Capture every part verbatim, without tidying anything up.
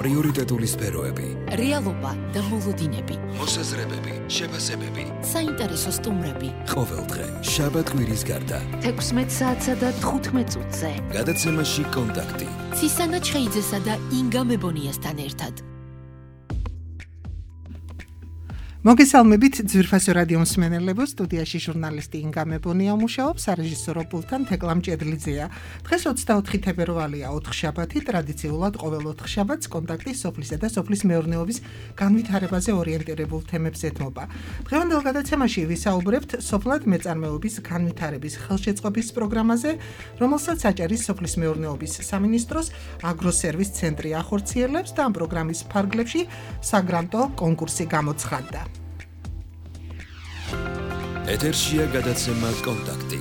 პრიორიტეტული სფეროები, რეალობა და მოლოდინები, მოსაზრებები, შეფასებები, საინტერესო სტუმრები. ყოველდღე შაბათ კვირის გარდა თექვსმეტ საათსა და თხუთმეტ წუთზე. გადაცემაში კონტაქტი. ცისანა ჩხეიძესა და ინგა მებონიასთან ერთად. მოგესალმებით ძვირფასო რადიო მსმენელებო, სტუდიაში ჟურნალისტი ინგა მებონია მუშაობს, სარეჟისორო პულტთან თეკლამ ჭედლიძეა. დღეს ოცდაოთხი თებერვალია, ოთხშაბათი, ტრადიციულად ყოველ ოთხშაბათს კონტაქტი სოფლისა და სოფლის მეურნეობის განვითარებაზე ორიენტირებულ თემებს ეთმობა. დღევანდელ გადაცემაში ვისაუბრებთ სოფლად მეწარმეობის განვითარების ხელშეწყობის პროგრამაზე, რომელსაც აჭარის სოფლის მეურნეობის სამინისტროს აგროსერვის ცენტრი ახორციელებს და ამ პროგრამის ფარგლებში საგრანტო კონკურსი გამოცხადდა. ეთერშია გადაცემა კონტაქტი.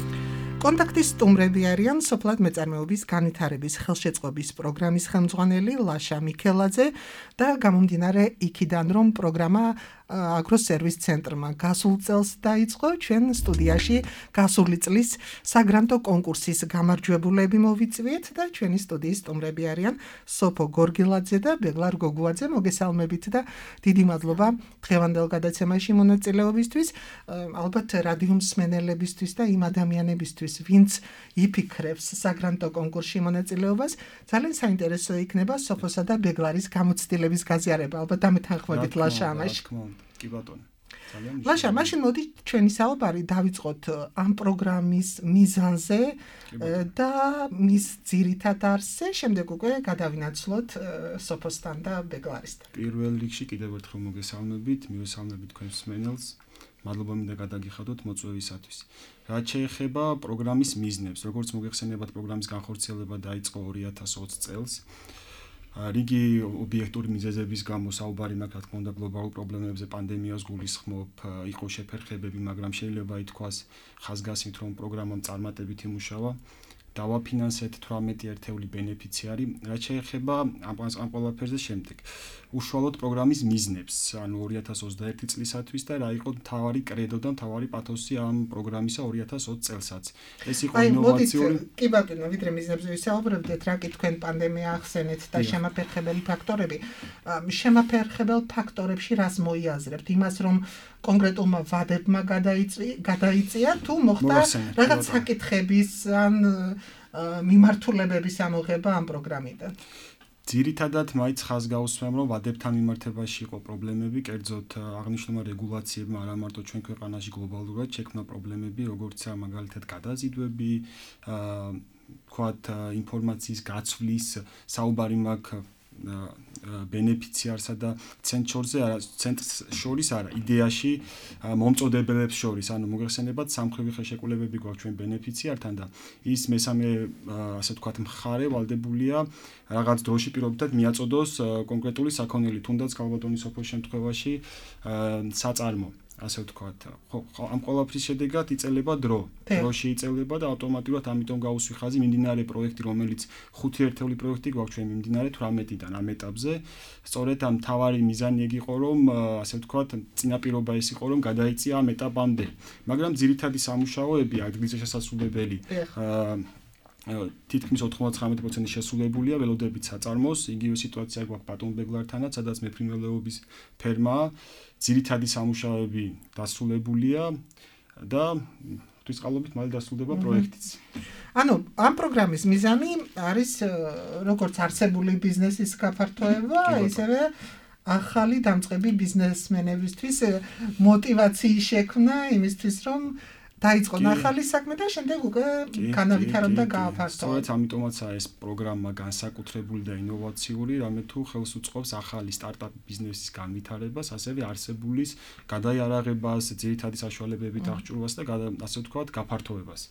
კონტაქტის სტუმრები არიან სოფლად მეწარმეობის განვითარების ხელშეწყობის პროგრამის ხელმძღვანელი ლაშა მიქელაძე და გამომდინარე იქიდან, რომ პროგრამა აგროსერვის ცენტრმა გასულ წელს დაიწყო, ჩვენ სტუდიაში გასული წლის საგრანტო კონკურსის გამარჯვებულები მოვიწვიეთ და ჩვენი სტუდიის სტუმრები არიან სოფო გორგილაძე და ბეგლარ გოგუაძე. მოგესალმებით და დიდი მადლობა დღევანდელ გადაცემაში მონაწილეობისთვის. ალბათ რადიო მსმენელებისთვის და იმ ადამიანებისთვის, ვინც იფიქრებს საგრანტო კონკურსში მონაწილეობას, ძალიან საინტერესო იქნება სოფოსა და ბეგლარის გამოცდილების გაზიარება. ალბათ ამეთანხმებით ლაშა ამაში. კი ბატონო. ლაშა, მაშინ მოდი ჩვენი საუბარი დავიწყოთ ამ პროგრამის მიზანზე და მის ძირითად არსზე, შემდეგ უკვე გადავინაცვლოთ სოფოსთან და ბეგლარისთან. პირველ რიგში კიდევ ერთხელ მოგესალმებით, მივესალმებით თქვენს მსმენელს. მადლობა მინდა გადაგიხადოთ მოწვევისათვის. რაც შეეხება პროგრამის მიზნებს, როგორც მოგეხსენებათ, პროგრამის განხორციელება დაიწყო ორი ათას ოცი წელს. რიგი ობიექტური მიზეზების გამო საუბარი მაქვს, რა თქმა უნდა, გლობალურ პრობლემებზე, პანდემიას გულისხმობ, იყო შეფერხებები, მაგრამ შეიძლება ითქვას ხაზგასმით, რომ პროგრამამ წარმატებით იმუშავა. დავაფინანსეთ თვრამეტი ერთეული ბენეფიციარი. რაც შეეხება ამ ყველაფერზე შემდეგ. უშუალოდ პროგრამის მიზნებს, ანუ ორი ათას ოცდაერთი წლისათვის და რა იყო მთავარი კრედო და მთავარი პათოსი ამ პროგრამისა ორი ათას ოცი წელსაც. ეს იყო ინოვაციური. კი ბატონო, ვიდრე მიზნებზე ვისაუბრებდეთ, რა კი თქვენ პანდემია ახსენეთ და შემაფერხებელი ფაქტორები. შემაფერხებელ ფაქტორებში რას მოიაზრებთ? იმას, რომ კონკრეტულმა ვადებმა გადაიწია თუ მოხდა რაღაც საკითხების ან მიმართულებების ამოღება ამ პროგრამიდან? ძირითადად მაინც ხაზგაუსმემ, რომ ვადებთან მიმართებაში იყო პრობლემები, კერძოდ აღნიშნულმა რეგულაციებმა არა მარტო ჩვენ ქვეყანაში გლობალურად შექმნა პრობლემები, როგორიცაა მაგალითად გადაზიდვები, თქვათ ინფორმაციის გაცვლის საუბარი მაქვს ბენეფიციარსა და ცენტრს ცენტრს შორის არა, იდეაში მომწოდებელებს შორის, ანუ მოგეხსენებათ, სამხრივი ხელშეკრულებები გვაქვს ჩვენ ბენეფიციართან და ის მესამე ასე ვთქვათ მხარე ვალდებულია რაღაც დროში პირობითად მიაწოდოს კონკრეტული საქონელი, თუნდაც ქალბატონის სოფოს შემთხვევაში საწარმო. ასე ვთქვათ, ამ ყველაფრის შედეგად იწელება დრო. დროში იწელება და ავტომატურად ამიტომ გაუსვი ხაზი მიმდინარე პროექტი, რომელიც ხუთი ერთეული პროექტი გვაქვს ჩვენ მიმდინარე თვრამეტიდან ამ ეტაპზე. სწორედ ამ მთავარი მიზანი ეგ იყო, რომ ასე ვთქვათ, წინაპირობა ეს იყო, რომ გადაიწია ამ ეტაპამდე. მაგრამ ძირითადი სამუშაოები ადგილზე შესასრულებელი თითქმის ოთხმოცდათხმეტი პროცენტი შესრულებულია ველოდებით საწარმოს. იგივე სიტუაცია გვაქვს ბატონ ბეგლართანაც, სადაც მეფრინველეობის ფერმაა. ძირითადი სამუშაოები დასრულებულია და ღვთისყალობით მალე დასრულდება პროექტიც. ანუ ამ პროგრამის მიზანი არის როგორც არსებული ბიზნესის გაფართოება, ისევე ახალი დამწყები ბიზნესმენებისთვის მოტივაციის შექმნა იმისთვის, რომ დაიწყონ ახალი საქმე და შემდეგ უკვე განავითარონ და გააფართოვონ. სწორედ ამიტომაცაა ეს პროგრამა განსაკუთრებული და ინოვაციური, რამე თუ ხელს უწყობს ახალი სტარტაპ ბიზნესის განვითარებას, ასევე არსებულის გადაიარაღებას, ძირითადი საშუალებებით აღჭურვას და ასე ვთქვათ, გაფართოვებას.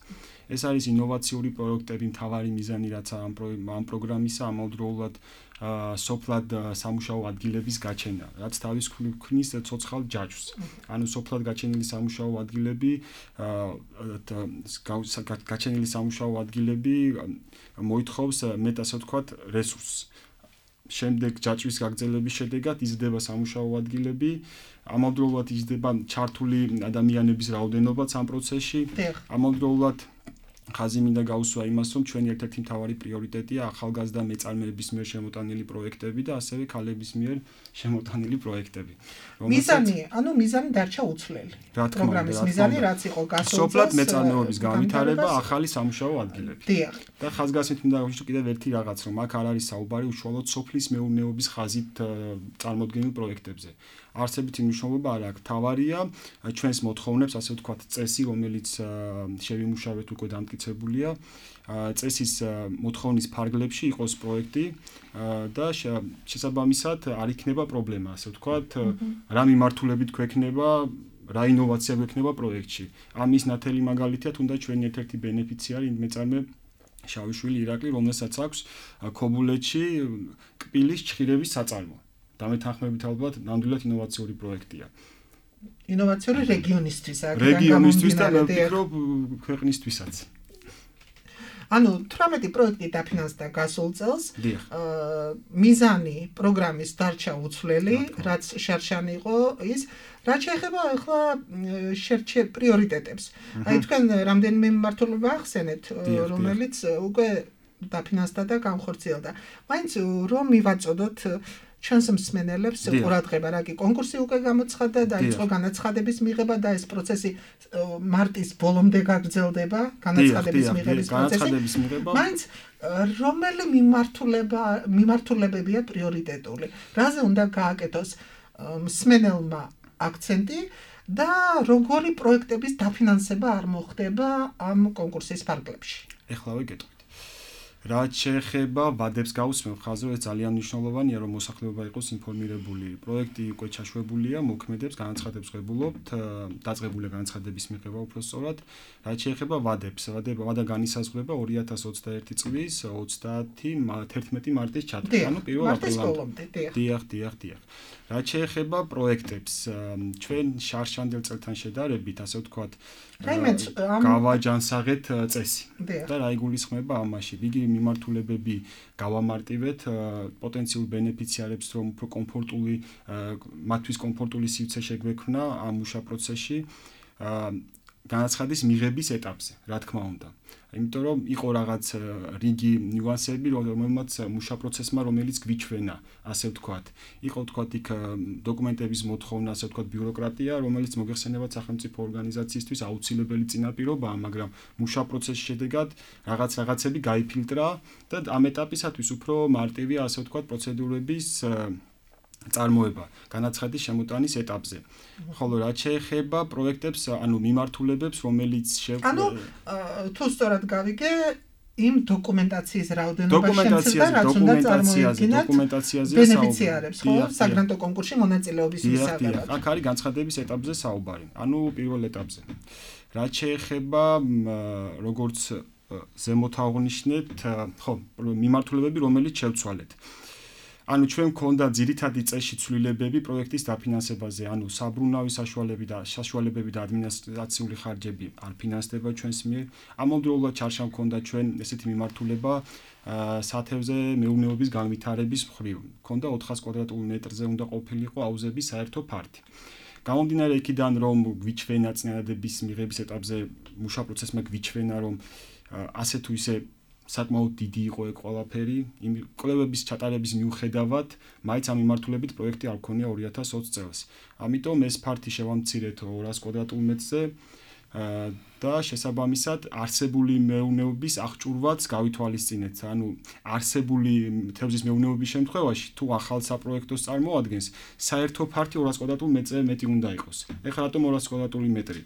ეს არის ინოვაციური პროექტები, მთავარი მიზანი, რაც ამ პროგრამისა ამავდროულად სოფლად სამუშაო ადგილების გაჩენა, რაც თავის ქმნის ცოცხალ ჯაჭვს. ანუ სოფლად გაჩენილი სამუშაო ადგილები, გაჩენილი სამუშაო ადგილები მოითხოვს მეტ ასე ვთქვათ რესურსს. შემდეგ ჯაჭვის გაგრძელების შედეგად იზრდება სამუშაო ადგილები, ამავდროულად იზრდება ჩართული ადამიანების რაოდენობაც ამ პროცესში, ამავდროულად ხაზი მინდა გაუსვა იმას, რომ ჩვენი ერთ-ერთი მთავარი პრიორიტეტია ახალგაზრდა მეწარმეების მიერ შემოტანილი პროექტები და ასევე ქალების მიერ შემოტანილი პროექტები. მიზანი, ანუ მიზანი დარჩა უცვლელი. პროგრამის მიზანი რაც იყო გასულ წელს სოფლად მეწარმეობის განვითარება, ახალი სამუშაო ადგილები. დიახ. და ხაზგასმით მინდა გავიშვი კიდევ ერთი რაღაც, რომ აქ არ არის საუბარი უშუალოდ სოფლის მეურნეობის ხაზით წარმოდგენილ პროექტებზე. არსებითი მნიშვნელობა არ აქვს. თავარია ჩვენს მოთხოვნებს, ასე ვთქვათ, წესი, რომელიც შევიმუშავეთ უკვე დამტკიცებულია, წესის მოთხოვნის ფარგლებში იყოს პროექტი და შესაბამისად არ იქნება პრობლემა, ასე ვთქვათ, რა მიმართულებით გვექნება, რა ინოვაცია გვექნება პროექტში. ამის ნათელი მაგალითია თუნდაც ჩვენი ერთ-ერთი ბენეფიციარი მეწარმე შავიშვილი ირაკლი, რომელსაც აქვს ქობულეთში კბილის ჩხირების საწარმო. დამეთანხმებით ალბათ ნამდვილად ინოვაციური პროექტია. ინოვაციური რეგიონისთვის, რეგიონისთვის და მე ვფიქრობ ქვეყნისთვისაც. ანუ თვრამეტი პროექტი დაფინანსდა გასულ წელს. მიზანი პროგრამის დარჩა უცვლელი, რაც შარშანი იყო ის, რაც შეეხება ახლა შერჩე პრიორიტეტებს. აი თქვენ რამდენიმე მიმართულება ახსენეთ, რომელიც უკვე დაფინანსდა და განხორციელდა. მაინც რომ მივაწოდოთ ჩვენს მსმენელებს ყურადღება, რა კი კონკურსი უკვე გამოცხადდა და იწყო განაცხადების მიღება და ეს პროცესი მარტის ბოლომდე გაგრძელდება, განაცხადების მიღების პროცესი. მაინც რომელი მიმართულება მიმართულებებია პრიორიტეტული? რაზე უნდა გააკეთოს მსმენელმა აქცენტი და როგორი პროექტების დაფინანსება არ მოხდება ამ კონკურსის ფარგლებში? ეხლა ვიგეთქვით. რაც შეეხება ვადებს გაუსმევ ხაზზე, ეს ძალიან მნიშვნელოვანია, რომ მოსახლეობა იყოს ინფორმირებული. პროექტი უკვე ჩაშვებულია, მოქმედებს, განაცხადებს ღებულობთ, დაწყებულია განაცხადების მიღება უფრო სწორად. რაც შეეხება ვადებს, ვადა განისაზღვრება ორი ათას ოცდაერთი წლის თერთმეტი მარტის ჩათვლით, ანუ პირველ აპრილამდე. დიახ, დიახ, დიახ. რაც შეეხება პროექტებს, ჩვენ შარშანდელ წელთან შედარებით, ასე ვთქვათ, გავაჯანსაღეთ წესი და რა იგულისხმება ამაში. იგი მიმართულებები გავამარტივეთ პოტენციურ ბენეფიციარებს, რომ უფრო კომფორტული, მათთვის კომფორტული სივრცე შეგვექმნა ამ მუშა პროცესში განაცხადის მიღების ეტაპზე, რა თქმა უნდა. იმიტომ რომ იყო რაღაც რიგი ნიუანსები, რომელმაც მუშა პროცესმა, რომელიც გვიჩვენა, ასე ვთქვათ. იყო ვთქვათ იქ დოკუმენტების მოთხოვნა, ასე ვთქვათ, ბიუროკრატია, რომელიც მოგეხსენებათ სახელმწიფო ორგანიზაციისთვის აუცილებელი წინაპირობაა, მაგრამ მუშა პროცესის შედეგად რაღაც რაღაცები გაიფილტრა და ამ ეტაპისათვის უფრო მარტივია, ასე ვთქვათ, პროცედურების წარმოება განაცხადის შემოტანის ეტაპზე. ხოლო რაც შეეხება პროექტებს, ანუ მიმართულებებს, რომელიც ანუ თუ სწორად გავიგე, იმ დოკუმენტაციის რაოდენობაში და რაც უნდა წარმოედგინათ ბენეფიციარებს, ხო, საგრანტო კონკურსში მონაწილეობის მისაღებად. აქ არის განცხადების ეტაპზე საუბარი, ანუ პირველ ეტაპზე. რაც შეეხება როგორც ზემოთ აღვნიშნეთ, ხო, მიმართულებები, რომელიც შევცვალეთ. ანუ ჩვენ გქონდა ძირითადი წესში ცვლილებები პროექტის დაფინანსებაზე, ანუ საბრუნავი საშუალებები და საშუალებები და ადმინისტრაციული ხარჯები არ ფინანსდება ჩვენს მიერ. ამავდროულად ჩარშა გქონდა ჩვენ ესეთი მიმართულება სათევზე მეურნეობის განვითარების მხრივ. გქონდა ოთხას კვადრატულ მეტრზე უნდა ყოფილიყო აუზების საერთო ფართი. გამომდინარე იქიდან, რომ გვიჩვენა წინადადების მიღების ეტაპზე მუშა პროცესმა გვიჩვენა, რომ ასე თუ ისე საკმაოდ დიდი იყო ეგ ყველაფერი, იმ კვლევების ჩატარების მიუხედავად, მაინც ამ მიმართულებით პროექტი არ გქონია ორი ათას ოცი წელს. ამიტომ ეს ფართი შევამცირეთ ორას კვადრატულ მეტრზე და შესაბამისად არსებული მეურნეობის აღჭურვაც გავითვალისწინეთ. ანუ არსებული თევზის მეურნეობის შემთხვევაში, თუ ახალ საპროექტოს წარმოადგენს, საერთო ფართი ორას კვადრატულ მეტრზე მეტი უნდა იყოს. ეხლა რატომ ორას კვადრატული მეტრი?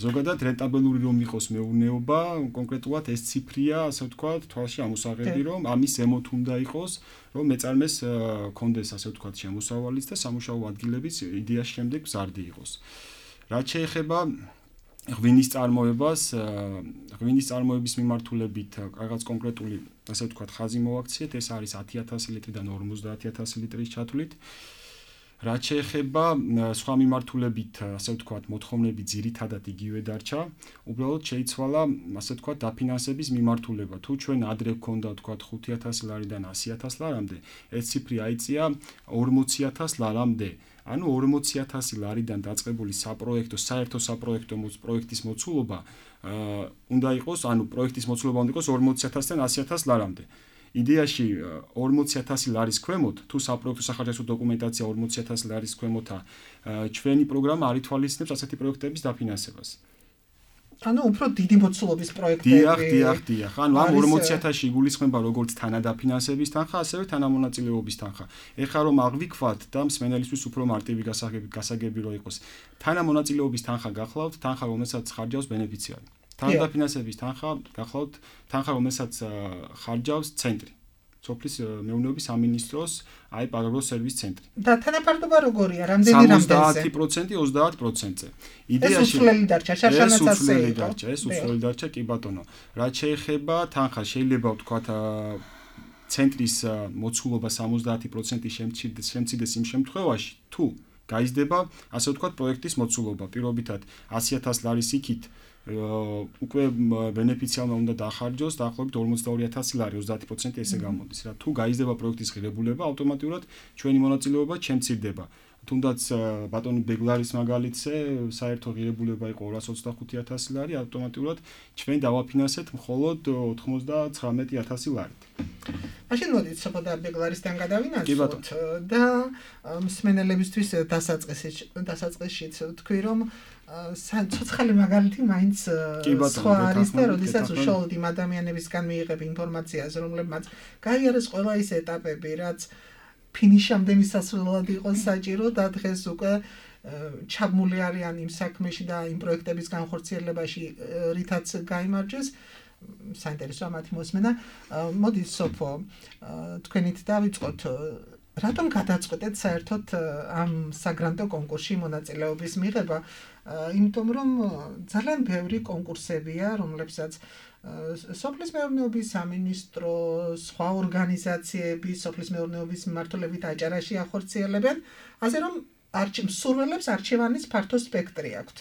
ზოგადად რენტაბელური რომ იყოს მეურნეობა, კონკრეტულად ეს ციფრია, ასე ვთქვათ, თვალში ამოსაღები, რომ ამის ზემოთ უნდა იყოს, რომ მეწარმეს კონდეს, ასე ვთქვათ, შემოსავალიც და სამუშაო ადგილებიც იდეაში შემდეგ მზარდი იყოს. რაც შეეხება ღვინის წარმოებას, ღვინის წარმოების მიმართულებით რაღაც კონკრეტული, ასე ვთქვათ, ხაზი მოვაქციეთ, ეს არის ათი ათასი ლიტრიდან ორმოცდაათი ათასი ლიტრის ჩათვლით. რაც შეეხება სხვა მიმართულებით, ასე ვთქვათ, მოთხოვნები ძირითადად იგივე დარჩა. უბრალოდ შეიცვალა, ასე ვთქვათ, დაფინანსების მიმართულება. თუ ჩვენ ადრე გვქონდა, ვთქვათ, ხუთი ათასი ლარიდან ასი ათასი ლარამდე, ეს ციფრი აიწია ორმოცი ათასი ლარამდე. ანუ ორმოცი ათასი ლარიდან დაწყებული საპროექტო, საერთო საპროექტო პროექტის მოცულობა უნდა იყოს, ანუ პროექტის მოცულობა უნდა იყოს ორმოცი ათასიდან ასი ათასი ლარამდე. იდეაში ორმოცი ათასი ლარის ქვემოთ, თუ საპროექტო სახარჯაჭო დოკუმენტაცია ორმოცი ათასი ლარის ქვემოთა, ჩვენი პროგრამა არ ითვალისწინებს ასეთი პროექტების დაფინანსებას. ანუ უფრო დიდი მოცულობის პროექტები. დიახ, დიახ, დიახ. ანუ ამ ორმოცი ათასში იგულისხმება როგორც თანადაფინანსების თანხა, ასევე თანამონაწილეობის თანხა. ეხლა რომ აღვიქვათ და მსმენელისთვის უფრო მარტივი გასაგები რო იყოს, თანამონაწილეობის თანხა გახლავთ, თანხა რომელსაც ხარჯავს ბენეფიციარი. თანადაფინანსების თანხა გახლავთ, თანხა რომელსაც ხარჯავს ცენტრი. სოფლის მეურნეობის სამინისტროს აი აგროსერვის ცენტრი. და თანაფარდობა როგორია? რამდენი რამდენზე? სამოცდაათი პროცენტი ოცდაათ პროცენტზე. იდეაში ეს უცვლელი დარჩა, შარშანაც ასე იყო. ეს უცვლელი დარჩა, კი ბატონო. რაც შეეხება თანხას, შეიძლება ვთქვათ ცენტრის მოცულობა სამოცდაათი პროცენტი შემცირდეს იმ შემთხვევაში, თუ გაიზრდება, ასე ვთქვათ, პროექტის მოცულობა. პირობითად ასი ათასი ლარის იქით უკვე ბენეფიციარმა უნდა დახარჯოს დაახლოებით ორმოცდაორი ათასი ლარი, ოცდაათი პროცენტი ესე გამოდის რა. თუ გაიზრდება პროექტის ღირებულება, ავტომატურად ჩვენი მონაწილეობა შემცირდება. თუნდაც ბატონი ბეგლარის მაგალითზე საერთო ღირებულება იყო ორას ოცდახუთი ათასი ლარი, ავტომატურად ჩვენ დავაფინანსეთ მხოლოდ ოცდაცხრამეტი ათასი ლარით. მაშინ მოდით სოფოდა ბეგლარისთან გადავინაცვლოთ და მსმენელებისთვის დასაწყისშიც თქვი რომ ცოცხალი მაგალითი მაინც სხვა არის და როდესაც უშუალოდ იმ ადამიანებისგან მიიღებ ინფორმაციას, რომლებმაც გაიარეს ყველა ის ეტაპები, რაც ფინიშამდე მისასვლელად იყოს საჭირო და დღეს უკვე ჩაბმული არიან იმ საქმეში და იმ პროექტების განხორციელებაში, რითაც გაიმარჯვეს. საინტერესოა მათი მოსმენა. მოდით სოფო, თქვენით დავიწყოთ. რატომ გადაწყვეტეთ საერთოდ ამ საგრანტო კონკურსში მონაწილეობის მიღება? იმიტომ რომ ძალიან ბევრი კონკურსებია, რომლებსაც სოფლის მეურნეობის სამინისტრო, სხვა ორგანიზაციები, სოფლის მეურნეობის მიმართულებით აჭარაში ახორციელებენ, ასე რომ მსურველებს არჩევანის ფართო სპექტრი აქვთ.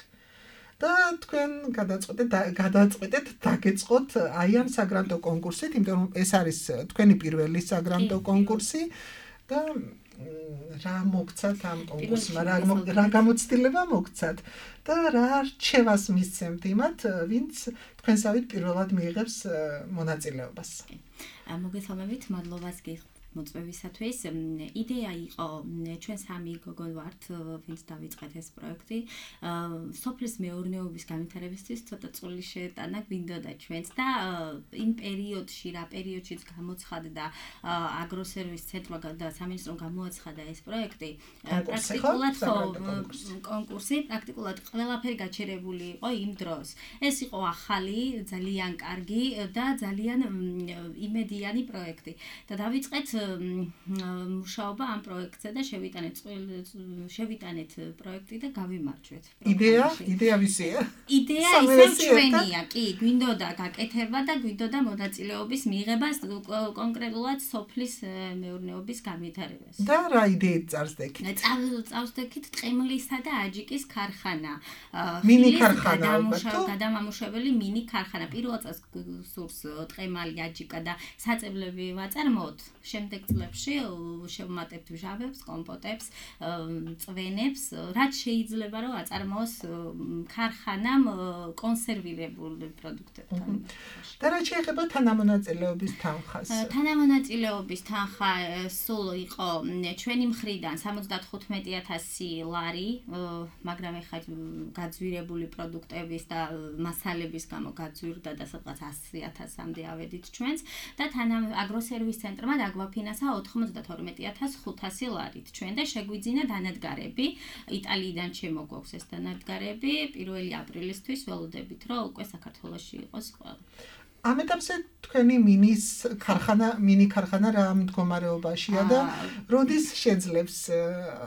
და თქვენ გადაწყვეტეთ გადაწყვეტეთ დაგეწყოთ აი ამ საგრანტო კონკურსით, იმიტომ რომ ეს არის თქვენი პირველი საგრანტო კონკურსი და რა მოგცათ ამ კონკურსმა, რა გამოცდილება მოგცათ და რა რჩევას მისცემთ იმათ, ვინც თქვენსავით პირველად მიიღებს მონაწილეობას. მოგესალმებით, მადლობას გიხდით მოწვევისათვის. იდეა იყო, ჩვენ სამი გოგო ვართ, ვინც დავიწყეთ ეს პროექტი. სოფლის მეურნეობის განვითარებისთვის ცოტა წვლილი შეეტანა გვინდოდა ჩვენც და იმ პერიოდში, რა პერიოდშიც გამოცხადდა აგროსერვის ცენტრმა და სამინისტრომ გამოაცხადა ეს პროექტი, პრაქტიკულად კონკურსი, პრაქტიკულად ყველაფერი გაჩერებული იყო იმ დროს. ეს იყო ახალი, ძალიან კარგი და ძალიან იმედიანი პროექტი. და დავიწყეთ მუშაობა ამ პროექტზე და შევიტანეთ შევიტანეთ პროექტი და გავიმარჯვეთ. იდეა, იდეა ვისია? იდეა ისევ ჩვენია, კი, გვინდოდა გაკეთება და გვინდოდა მონაწილეობის მიღება კონკრეტულად სოფლის მეურნეობის განვითარებას. და რა იდეით წარსდექით? წარსდექით ტყემლისა და აჯიკის ქარხანა. მინი ქარხანა, გადამამუშავებელი მინი ქარხანა. პირველ წელს სურს ტყემალი, აჯიკა და საწებლები ვაწარმოოთ. შემდეგ წლებში შევმატებთ ჟავებს, კომპოტებს, წვენებს, რაც შეიძლება რომ აწარმოოს ქარხანამ კონსერვირებულ პროდუქტებთან. და რა შეეხება თანამონაწილეობის თანხას? თანამონაწილეობის თანხა სულ იყო ჩვენი მხრიდან სამოცდათხუთმეტი ათასი ლარი, მაგრამ ეხლა გაძვირებული პროდუქტების და მასალების გამო გაძვირდა და სადღაც ასი ათასამდე ავედით ჩვენც და აგროსერვის ცენტრმა დაგვაფინანსა ოთხმოცდათორმეტი ათას ხუთასი ლარით. ჩვენ და შეგვიძინა დანადგარები. იტალიიდან შემოგვაქვს ეს დანადგარები. პირველი აპრილისთვის ველოდებით, რომ უკვე საქართველოში იყოს ყველა. ამ ეტაპზე თქვენი მინის ქარხანა, მინი ქარხანა რა მდგომარეობაშია და როდის შეძლებს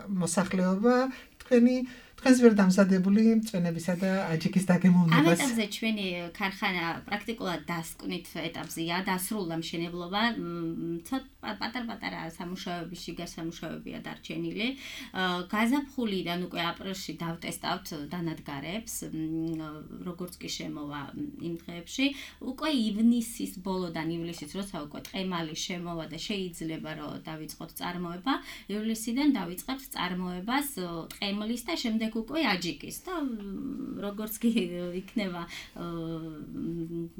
მოსახლეობა თქვენი თქვენს მიერ დამზადებული წვენებისა და აჯიკის დაგემოვნებას. ამ ეტაპზე ჩვენი ქარხანა პრაქტიკულად დასკვნით ეტაპზეა, დასრულდა მშენებლობა, ცოტა პატარ-პატარა სამუშაოები, შიგა სამუშაოებია დარჩენილი. გაზაფხულიდან უკვე აპრილში დავტესტავთ დანადგარებს, როგორც კი შემოვა იმ დღეებში, უკვე ივნისის ბოლოდან ივლისის როცა უკვე ტყემალი შემოვა და შეიძლება რომ დავიწყოთ წარმოება, ივლისიდან დავიწყებთ წარმოებას ტყემლის და შემდეგ უკვე აჯიკის და როგორც კი იქნება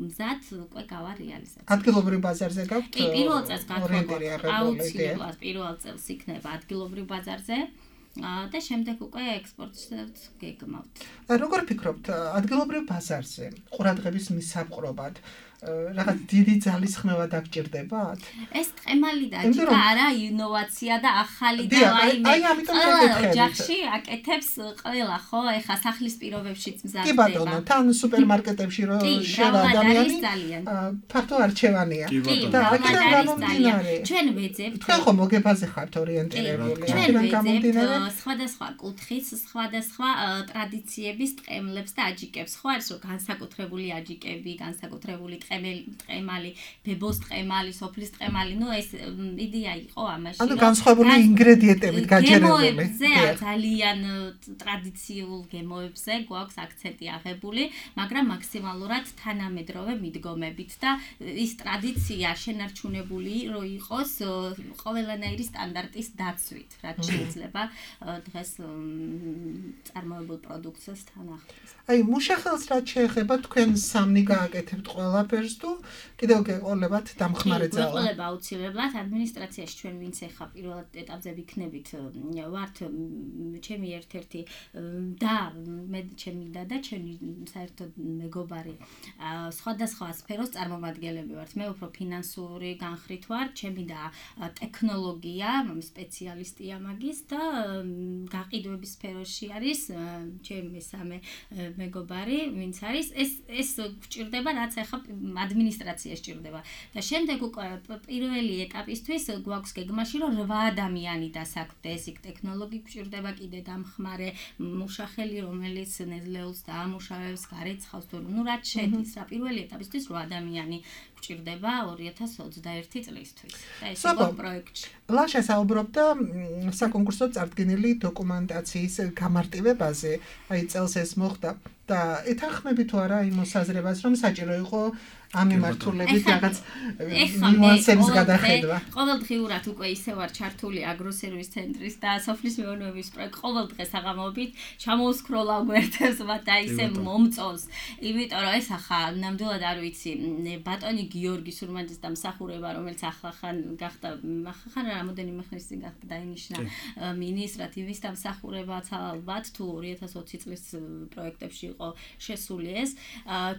მზად უკვე გავა რეალიზაცია. ადგილობრივ ბაზარზე გაქვთ? კი, პირველ წელს გათხოვოთ. აუცილებლად პირველ წელს იქნება ადგილობრივ ბაზარზე. და შემდეგ უკვე ექსპორტსაც გეგმავთ. როგორ ფიქრობთ, ადგილობრივ ბაზარზე ყურადღების მისაპყრობად რაღაც დიდი ძალისხმევა დაგჭირდებათ? ეს ტყემალი და აჯიკა არა ინოვაცია და ახალი და აი ამიტომ გეკითხებით. ოჯახში აკეთებს ყველა, ხო? ეხა სახლის პირობებშიც მზადდება. კი ბატონო, თან სუპერმარკეტებში რო შევა ადამიანი ფართო არჩევანია. და აქედან გამომდინარე. ჩვენ ვეძებთ. თქვენ ხო მოგებაზე ხართ ორიენტირებული. აქედან გამომდინარე სხვადასხვა კუთხის, სხვადასხვა ტრადიციების ტყემლებს და აჯიკებს. ხო არის რომ განსაკუთრებული აჯიკები, განსაკუთრებული ტყემალი, ბებოს ტყემალი, სოფლის ტყემალი, ну ეს იდეა იყო ამაში. ანუ განსხვავებული ინგრედიენტებით გაჯერებული. გემოებზე ძალიან ტრადიციულ გემოებზე გვაქვს აქცენტი აღებული, მაგრამ მაქსიმალურად თანამედროვე მიდგომებით და ის ტრადიცია შენარჩუნებული რო იყოს ყველანაირი სტანდარტის დაცვით, რაც შეიძლება დღეს წარმოებულ პროდუქციას თან ახლოს. აი, მუშახელს რაც შეეხება თქვენ სამნი გააკეთებთ ყველაფერს თუ კიდევ გეყოლებათ დამხმარე ძალა? გეყოლება აუცილებლად ადმინისტრაციაში ჩვენ ვინც ახლა პირველ ეტაპზე ვიქნებით ვართ ჩემი ერთ-ერთი და მე ჩემი და და ჩემი საერთოდ მეგობარი სხვადასხვა სფეროს წარმომადგენლები ვართ. მე უფრო ფინანსური განხრით ვარ, ჩემი და ტექნოლოგია სპეციალისტია მაგის და გაყიდვების სფეროში არის ჩემი მესამე მეგობარი, ვინც არის ეს ეს გვჭირდება, რაც ახლა ადმინისტრაციაში ჭირდება. და შემდეგ უკვე პირველი ეტაპისთვის გვაქვს გეგმაში, რომ რვა ადამიანი დასაქმდეს, იქ ტექნოლოგი გვჭირდება, კიდე დამხმარე მუშახელი, რომელიც ნედლეულს დაამუშავებს, გარეცხავს, ну რაც შედის, რა პირველი ეტაპისთვის რვა ადამიანი გვჭირდება ორი ათას ოცდაერთი წლისთვის. და ეს იყო პროექტში. ლაშა საუბრობდა საკონკურსო წარდგენილი დოკუმენტაციის გამარტივებაზე, აი წელს ეს მოხდა და ეთანხმები თუ არა იმ მოსაზრებას, რომ საჭირო იყო ამ მიმართულებით რაღაც ნიუანსების გადახედვა. ყოველდღიურად უკვე ისე ვარ ჩართული აგროსერვის ცენტრის და სოფლის მეურნეობის პროექტ ყოველ დღე საღამოობით ჩამოუსკროლავ გვერდებს და ისე მომწონს. იმიტომ რომ ეს ახლა ნამდვილად არ ვიცი, ბატონი გიორგი სურმანძის დამსახურება, რომელიც ახლა ხან გახდა, ახლა ხან რამოდენიმე ხნის წინ გახდა დაინიშნა მინისტრად, იმის დამსახურებაც ალბათ თუ ორი ათას ოცი წლის პროექტებში იყო შესული ეს.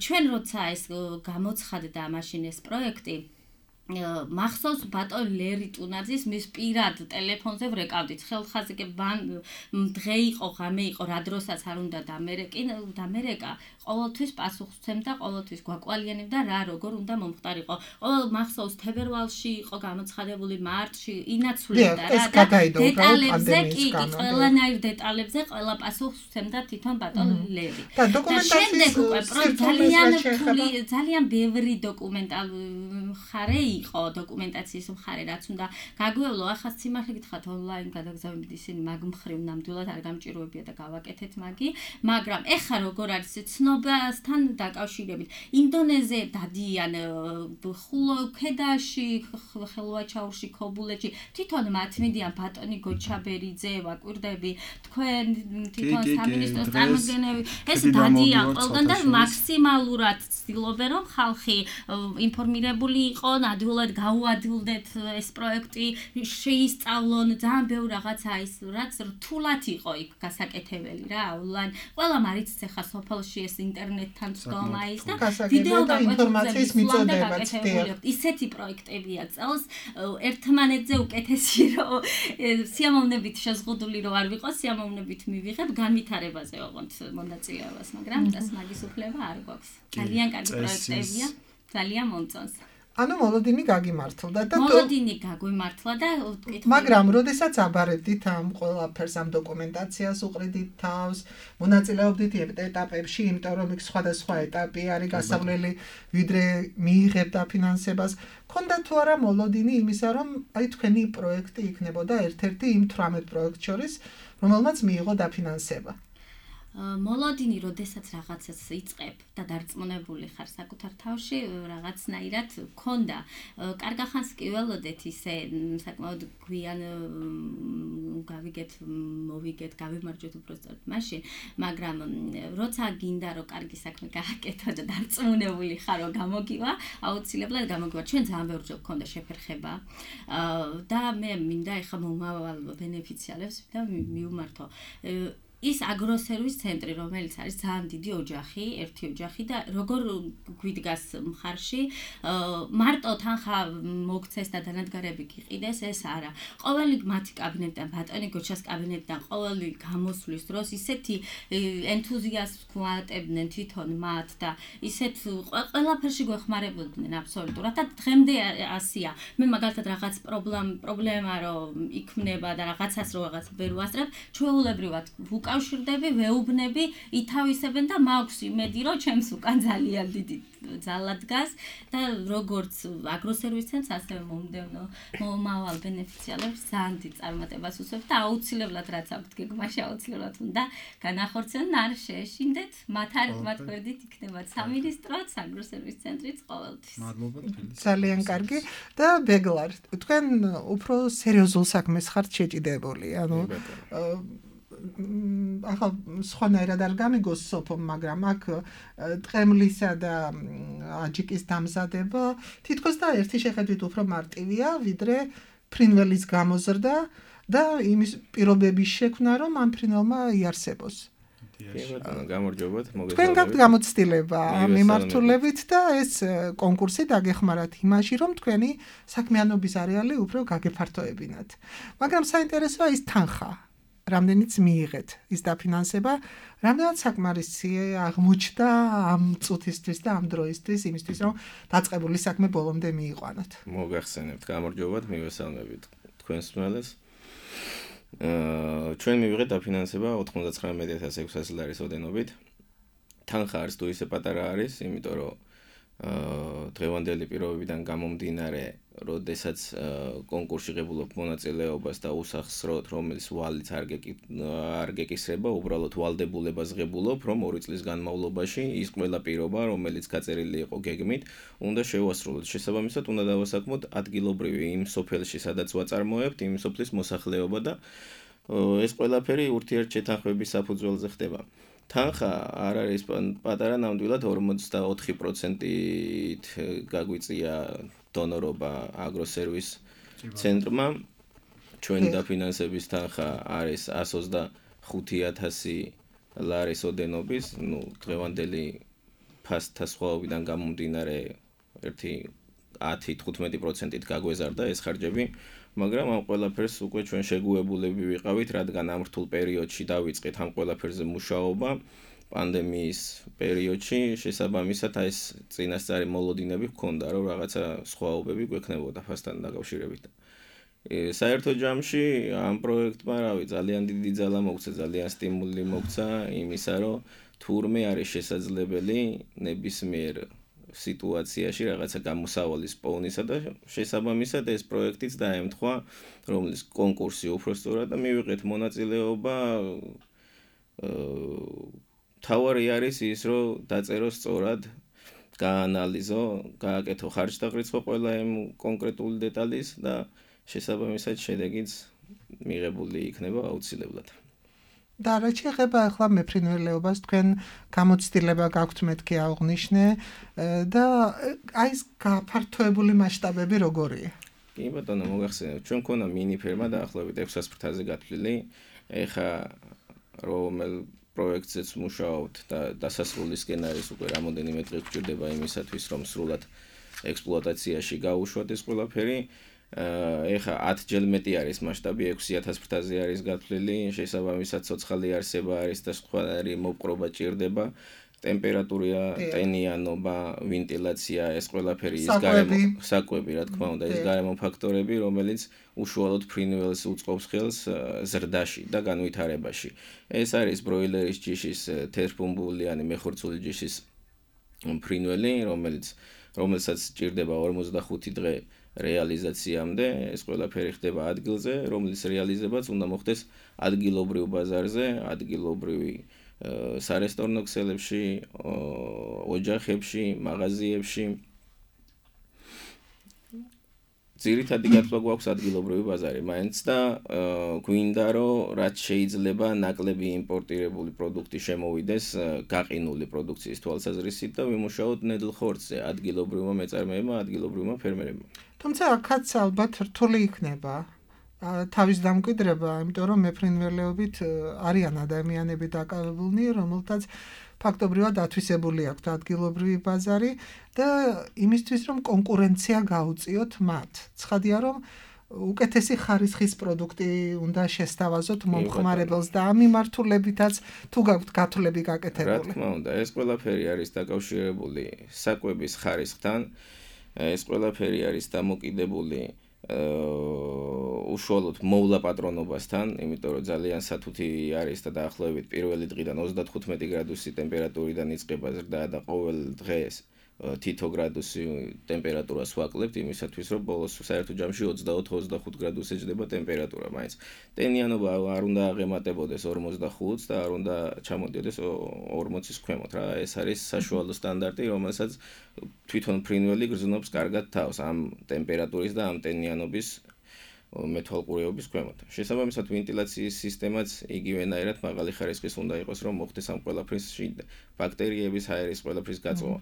ჩვენ როცა ეს გამო ცხადდა მაშინ ეს პროექტი მახსოვს ბატონ ლერი ტუნაძის მის პირად ტელეფონზე ვრეკავდით ხელხაზიკე დღე იყო ღამე იყო რა დროსაც არ უნდა დამერეკინ დამერეკა ყოველთვის პასუხსცემდა ყოველთვის გვაკვალიანებდა რა როგორ უნდა მომხდარიყო ყოველ მახსოვს თებერვალში იყო გამოცხადებული მარტში ინაცვლებდა რა დეტალებზე კი ყველანაირ დეტალებზე ყველა პასუხსცემდა თვითონ ბატონ ლერი და დოკუმენტაციის ძალიან ძალიან ბევრი დოკუმენტალური მხარე იყო დოკუმენტაციის მხარე რაც უნდა გაგვევლო ახლა სიმართლე გითხრათ ონლაინ გადაგზავნებით ისინი მაგ მხრივ ნამდვილად არ გამჭიროებია და გავაკეთეთ მაგი მაგრამ ეხა როგორ არის ცნობასთან დაკავშირებით ინდონეზიაზე დადიან ხულოქედაში ხელვაჩაურში ქობულეთში თვითონ მათ მიდიან ბატონი გოჩაბერიძე ვაკვირდები თქვენ თვითონ სამინისტროს წარმომადგენლები ეს დადიან ყველგან და მაქსიმალურად ცდილობენ რომ ხალხი ინფორმირებული იყო ნამდვილად გაუადვილდეთ ეს პროექტი შეისწავლონ ძალიან ბევრ რაღაცა ის რაც რთულად იყო იქ გასაკეთებელი რა ონლაინ ყველა მარიცს ახლა სოფელში ეს ინტერნეტთან წდომა ის და ვიდეო და ინფორმაციის მიწოდებაც ისეთი პროექტებია წელს ერთმანეთზე უკეთესი რომ სიამოვნებით შეზღუდული რომ არ ვიყო სიამოვნებით მივიღებ განვითარებაზე ოღონდ მონაწილეობას მაგრამ ეს მაგის უფლება არ გვაქვს ძალიან კარგი პროექტებია ძალიან მომწონს ანუ მოლოდინი გაგიმართლდა და მოლოდინი გაგვიმართლა და მაგრამ როდესაც აბარებდით ამ ყველაფერს ამ დოკუმენტაციას უყრიდით თავს მონაწილეობდით ეტაპებში იმიტომ რომ იქ სხვადასხვა ეტაპი არის გასავლელი ვიდრე მიიღებთ დაფინანსებას ქონდა თუ არა მოლოდინი იმისა რომ აი თქვენი პროექტი იქნებოდა ერთ-ერთი იმ თვრამეტ პროექტ შორის რომელმაც მიიღო დაფინანსება მოლოდინი როდესაც რაღაცას იწყებ და დარწმუნებული ხარ საკუთარ თავში რაღაცნაირად ქონდა კარგახანს კი ველოდეთ ისე საკმაოდ გვიან გავიგეთ მოვიგეთ გავიმარჯვეთ უბრალოდ მაშინ მაგრამ როცა გინდა რომ კარგი საქმე გააკეთო და დარწმუნებული ხარ რომ გამოგივა აუცილებლად გამოგივა ჩვენ ძალიან ბევრი გქონდა შეფერხება და მე მინდა ეხა მომავალ ბენეფიციარებს და მივმართო ის აგროსერვის ცენტრი რომელიც არის ძალიან დიდი ოჯახი, ერთი ოჯახი და როგორ გვიდგას მხარში მარტო თანხა მოგცეს და დანადგარები გიყიდეს ეს არა. ყოველი მათი კაბინეტიდან ბატონი გოჩას კაბინეტიდან ყოველი გამოსვლის დროს ისეთი ენთუზიაზმს გვატებდნენ თვითონ მათ და ისეთ ყველაფერში გვეხმარებოდნენ აბსოლუტურად და დღემდე ასია. მე მაგალითად რაღაც პრობლემა რომ იქმნება და რაღაცას რო რაღაც ვერ ვასწრებ, ჩვეულებრივად კავშირდები, ვეუბნები, ითავისებენ და მაქვს იმედი, რომ ჩემს უკან ძალიან დიდი ძალა დგას და როგორც აგროსერვის ცენტრს, ასევე მომდევნო მომავალ ბენეფიციარებს ძალიან დიდ წარმატებას უსვევთ და აუცილებლად რაც აქვთ გეგმაში, აუცილებლად უნდა განახორციელონ, არ შეეშინდეთ, მათ არ მათ გვერდით იქნება სამინისტროც, აგროსერვის ცენტრიც ყოველთვის. მადლობა თბილისში. ძალიან კარგი და ბეგლარ, თქვენ უფრო სერიოზულ საქმეს ხართ შეჭიდებული, ანუ ახლა სხვანაირად არ გამიგოს სოფო, მაგრამ აქ ტყემლისა და აჯიკის დამზადება თითქოს და ერთი შეხედვით უფრო მარტივია, ვიდრე ფრინველის გამოზრდა და იმის პირობების შექმნა, რომ ამ ფრინველმა იარსებოს. გამარჯობათ, მოგესალმებით. თქვენ გაქვთ გამოცდილება ამ მიმართულებით და ეს კონკურსი დაგეხმარათ იმაში, რომ თქვენი საქმიანობის არეალი უფრო გაგეფართოებინათ. მაგრამ საინტერესოა ის თანხა. რამდენიც მიიღეთ ის დაფინანსება, რამდენად საკმარისი აღმოჩნდა ამ წუთისთვის და ამ დროისთვის იმისთვის, რომ დაწყებული საქმე ბოლომდე მიიყვანოთ. მოგახსენებთ, გამარჯობათ, მივესალმებით თქვენს მელეს. აა ჩვენ მივიღეთ დაფინანსება ოთხმოცდათხრამეტი ათას ექვსასი ლარის ოდენობით. თანხა არის თუ ისე პატარა არის, იმიტომ რომ აა დღევანდელი პირობებიდან გამომდინარე, როდესაც კონკურსში ღებულობ მონაწილეობას და უსახსროთ, რომელიც ვალიც არ გეკისრება, უბრალოდ ვალდებულებას ღებულობ, რომ ორი წლის განმავლობაში ის ყველა პირობა, რომელიც გაწერილი იყო გეგმით, უნდა შევასრულოთ. შესაბამისად, უნდა დავასაქმოთ ადგილობრივი იმ სოფელში, სადაც ვაწარმოებთ, იმ სოფლის მოსახლეობა და ეს ყველაფერი ურთიერთშეთანხმების საფუძველზე ხდება. თანხა არ არის პატარა, ნამდვილად ორმოცდაოთხი პროცენტით გაგვიწია დონორობა აგროსერვის ცენტრმა. ჩვენი დაფინანსების თანხა არის ას ოცდახუთი ათასი ლარის ოდენობის, ნუ დღევანდელი ფასთა სხვაობიდან გამომდინარე ერთი ათი თხუთმეტი პროცენტით გაგვეზარდა ეს ხარჯები, მაგრამ ამ ყველაფერს უკვე ჩვენ შეგუებულები ვიყავით, რადგან ამ რთულ პერიოდში დავიწყეთ ამ ყველაფერზე მუშაობა. პანდემიის პერიოდში შესაბამისად აი ეს წინასწარი მოლოდინები ჰქონდა, რომ რაღაცა სხვაობები გვექნებოდა ფასთან დაკავშირებით. საერთო ჯამში ამ პროექტმა რავი ძალიან დიდი ძალა მოგცა, ძალიან სტიმული მოგცა იმისა, რომ თურმე არის შესაძლებელი ნებისმიერ სიტუაციაში რაღაცა გამოსავალის პოვნისა და შესაბამისად ეს პროექტიც დაემთხვა, რომლის კონკურსი უფრო სწორად და მივიღეთ მონაწილეობა. თავარი არის ის, რომ დაწერო სწორად, გაანალიზო, გააკეთო ხარჯთაღრიცხვა ყველა იმ კონკრეტული დეტალის და შესაბამისად შედეგიც მიღებული იქნება აუცილებლად. და რა შეეხება ახლა მეფრინველეობას, თქვენ გამოცდილება გაქვთ მეთქი აღნიშნე და აი ეს გაფართოებული მასშტაბები როგორია? კი ბატონო, მოგახსენებთ, ჩვენ მქონდა მინი ფერმა დაახლოებით ექვსას ფრთაზე გათვლილი. ეხა რომელ პროექტზეც მუშაობთ და დასასრულისკენ არის უკვე რამოდენიმე დღე გვჭირდება იმისათვის, რომ სრულად ექსპლუატაციაში გავუშვათ ეს ყველაფერი. ეხა ათჯერ მეტი არის მასშტაბი, ექვსი ათას ფრთაზე არის გათვლილი, შესაბამისად ცოცხალი არსება არის და სხვადასხვა მოპყრობა ჭირდება, ტემპერატურა, ტენიანობა, ვენტილაცია, ეს ყველაფერი ის გარემო საკვები, რა თქმა უნდა, ის გარემო ფაქტორები, რომელიც უშუალოდ ფრინველს უწყობს ხელს ზრდაში და განვითარებაში. ეს არის ბროილერის ჯიშის თერთბუმბულიანი მეხორცული ჯიშის ფრინველი, რომელიც რომელსაც ჭირდება ორმოცდახუთი დღე რეალიზაციამდე, ეს ყველაფერი ხდება ადგილზე, რომლის რეალიზებაც უნდა მოხდეს ადგილობრივ ბაზარზე, ადგილობრივი სარესტორნო ქსელებში, ოჯახებში, მაღაზიებში. ძირითადი გათვლა გვაქვს ადგილობრივი ბაზარი, მაინც და გვინდა რომ რაც შეიძლება ნაკლები იმპორტირებული პროდუქტი შემოვიდეს გაყინული პროდუქციის თვალსაზრისით და ვიმუშაოთ ნედლ ხორცზე ადგილობრივმა მეწარმეებმა, ადგილობრივმა ფერმერებმა. თუმცა აქაც ალბათ რთული იქნება თავის დამკვიდრება, იმიტომ რომ მეფრინველეობით არიან ადამიანები დაკავებულნი, რომელთაც ფაქტობრივად ათვისებული აქვთ ადგილობრივი ბაზარი და იმისთვის რომ კონკურენცია გაუწიოთ მათ. ცხადია რომ უკეთესი ხარისხის პროდუქტი უნდა შესთავაზოთ მომხმარებელს და ამ მიმართულებითაც თუ გაქვთ გათვლები გაკეთებული. რა თქმა უნდა, ეს ყველაფერი არის დაკავშირებული საკვების ხარისხთან, ეს ყველაფერი არის დამოკიდებული უშუალოდ მოვლა პატრონობასთან, იმიტომ რომ ძალიან სათუთი არის და დაახლოებით პირველი დღიდან ოცდათხუთმეტი გრადუსი ტემპერატურიდან იწყება ზრდა და ყოველ დღეს თითო გრადუსი ტემპერატურას ვაკლებთ იმისათვის რომ ბოლოს საერთო ჯამში ოცდაოთხ ოცდახუთ გრადუსი ჯდება ტემპერატურა, მაინც ტენიანობა არ უნდა აღემატებოდეს ორმოცდახუთს და არ უნდა ჩამოდიოდეს ორმოცის ქვემოთ რა, ეს არის საშუალო სტანდარტი, რომელსაც თვითონ ფრინველი გრძნობს კარგად თავს ამ ტემპერატურის და ამ ტენიანობის მეთვალყურეობის ქვემოთ. შესაბამისად ვენტილაციის სისტემაც იგივენაირად მაღალი ხარისხის უნდა იყოს, რომ მოხდეს ამ ყველაფრის ბაქტერიების, ჰაერის ყველაფრის გაწოვა.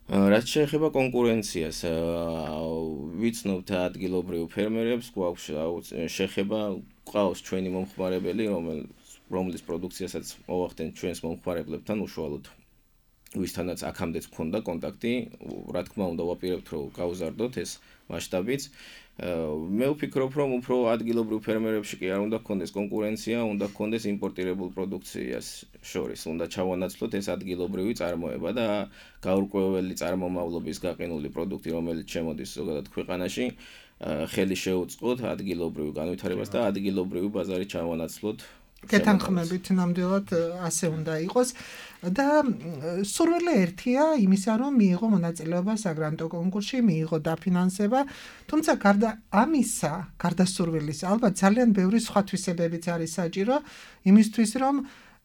რაც შეეხება კონკურენციას, ვიცნობთ ადგილობრივ ფერმერებს, გვაქვს შეხება, ყავს ჩვენი მომხმარებელი, რომლის პროდუქციასაც მოვახდენთ ჩვენს მომხმარებლებთან უშუალოდ. ვისთანაც აქამდეც გქონდა კონტაქტი, რა თქმა უნდა ვაპირებთ რომ გავზარდოთ ეს მასშტაბიც. მე ვფიქრობ რომ უფრო ადგილობრივ ფერმერებში კი არ უნდა გქონდეს კონკურენცია, უნდა გქონდეს იმპორტირებულ პროდუქციას შორის, უნდა ჩავანაცვლოთ ეს ადგილობრივი წარმოება და გაურკვეველი წარმომავლობის გაყინული პროდუქტი, რომელიც შემოდის ზოგადად ქვეყანაში, ხელი შეუწყოთ ადგილობრივ განვითარებას და ადგილობრივი ბაზარი ჩავანაცვლოთ. გეთანხმებით ნამდვილად ასე უნდა იყოს და სურვილი ერთია იმისა რომ მიიღო მონაწილეობა საგრანტო კონკურსში, მიიღო დაფინანსება, თუმცა გარდა ამისა, გარდა სურვილის, ალბათ ძალიან ბევრი სხვა თვისებებიც არის საჭირო იმისთვის რომ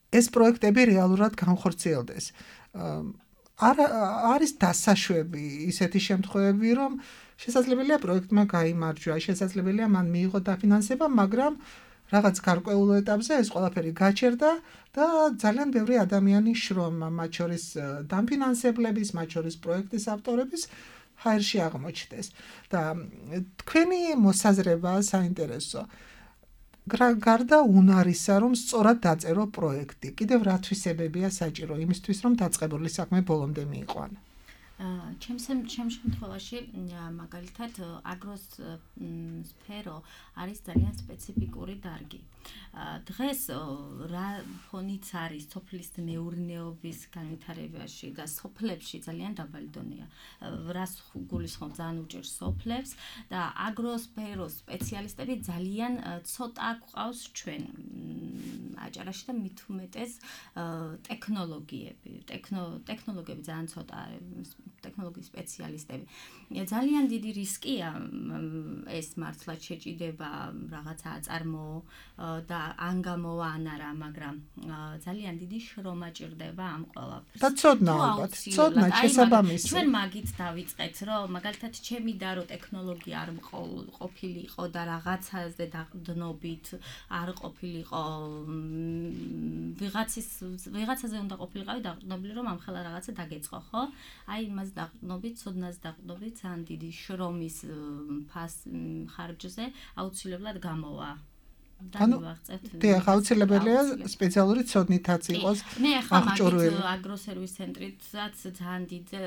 ეს პროექტები რეალურად განხორციელდეს. არ არის დასაშვები ისეთი შემთხვევები რომ შესაძლებელია პროექტმა გაიმარჯვა, შესაძლებელია მან მიიღო დაფინანსება, მაგრამ რაღაც გარკვეულ ეტაპზე ეს ყველაფერი გაჩერდა და ძალიან ბევრი ადამიანი შრომა, მათ შორის დაფინანსებლების, მათ შორის პროექტის ავტორების ჰაერში აღმოჩნდეს. და თქვენი მოსაზრება საინტერესო. გარდა უნარისა, რომ სწორად დაწერო პროექტი, კიდევ რა თვისებებია საჭირო იმისთვის, რომ დაწყებული საქმე ბოლომდე მიიყვანო? ჩემს ჩემს შემთხვევაში მაგალითად აგროს სფერო არის ძალიან სპეციფიკური დარგი. დღეს რა ფონიც არის სოფლის მეურნეობის განვითარებაში და სოფლებში ძალიან დაბალი დონეა. რას გულისხმობ ძალიან უჭერს სოფლებს და აგროსფეროს სპეციალისტები ძალიან ცოტა გვყავს ჩვენ აჭარაში და მით უმეტეს ტექნოლოგიები, ტექნოლოგიები ძალიან ცოტა ტექნოლოგიის სპეციალისტები. ძალიან დიდი რისკია ეს მართლაც შეჭიდება რაღაცა აწარმოო და ან გამოვა ან არა, მაგრამ ძალიან დიდი შრომა ჭირდება ამ ყველაფერს. და ცოდნა ალბათ, ცოდნა შესაბამისი. ჩვენ მაგით დავიწყეთ, რომ მაგალითად ჩემი და რო ტექნოლოგია არ ყოფილიყო და რაღაცაზე დაყდნობით არ ყოფილიყო ვიღაცის ვიღაცაზე უნდა ყოფილიყავი დაყდნობილი რომ ამხელა რაღაცა დაგეწყო, ხო? აი იმას დაყდნობით, ცოდნას დაყდნობით, ძალიან დიდი შრომის ფას ხარჯზე აუცილებლად გამოვა დავივაღწევთ. დიახ, აუცილებელია სპეციალური ცოდნითაც იყოს. მე ახლა მაგით აგროსერვის ცენტრიცაც ძალიან დიდი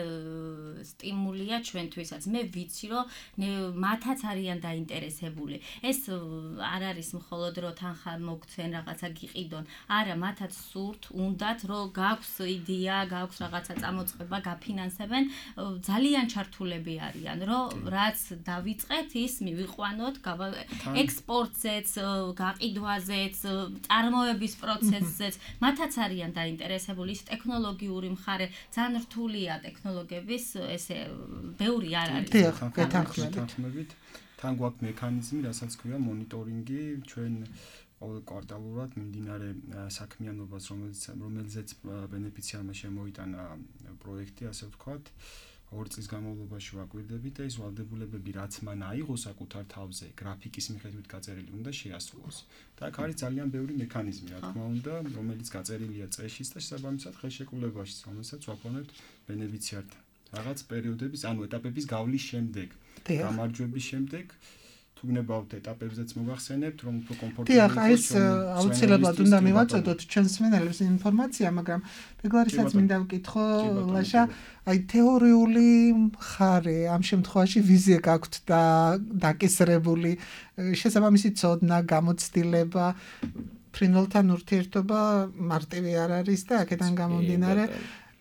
სტიმულია ჩვენთვისაც. მე ვიცი, რომ მათაც არიან დაინტერესებული. ეს არ არის მხოლოდ რომ თანხა მოგცენ რაღაცა გიყიდონ. არა, მათაც სურთ, უნდათ, რომ გაქვს იდეა, გაქვს რაღაცა წამოწყება, გაფინანსებენ, ძალიან ჩართულები არიან, რომ რაც დავიწყეთ, ის მივიყვანოთ, ექსპორტზეც, გაყიდვაზეც, წარმოების პროცესზეც, მათაც არიან დაინტერესებული. ის ტექნოლოგიური მხარე ძალიან რთულია ტექნოლოგიების, ესე ბევრი არ არის. დიახ, გეთანხმებით. თან გვაქვს მექანიზმი, რასაც ქვია მონიტორინგი, ჩვენ ყოველ კვარტალურად მიმდინარე საქმიანობას, რომელიც რომელზეც ბენეფიციარმა შემოიტანა პროექტი, ასე ვთქვათ, ორი წლის განმავლობაში ვაკვირდებით და ის ვალდებულებები, რაც მან აიღო საკუთარ თავზე, გრაფიკის მიხედვით გაწერილი უნდა შეასრულოს. და აქ არის ძალიან ბევრი მექანიზმი, რა თქმა უნდა, რომელიც გაწერილია წეშიც და შესაბამისად ხელშეკრულებაშიც, რომელსაც ვაფორმებთ ბენეფიციართან. რაღაც პერიოდების, ანუ ეტაპების გავლის შემდეგ, გამარჯვების შემდეგ თუ გნებავთ ეტაპებზეც მოგახსენებთ, რომ უფრო კომფორტული იყოს. დიახ, ეს აუცილებლად უნდა მივაწოდოთ ჩვენს მსმენელებს ინფორმაცია, მაგრამ ბეგლარისაც მინდა ვკითხო, ლაშა, აი თეორიული მხარე, ამ შემთხვევაში ვიზია გაქვთ და დაკისრებული, შესაბამისი ცოდნა, გამოცდილება, ფრინველთან ურთიერთობა მარტივი არ არის და აქედან გამომდინარე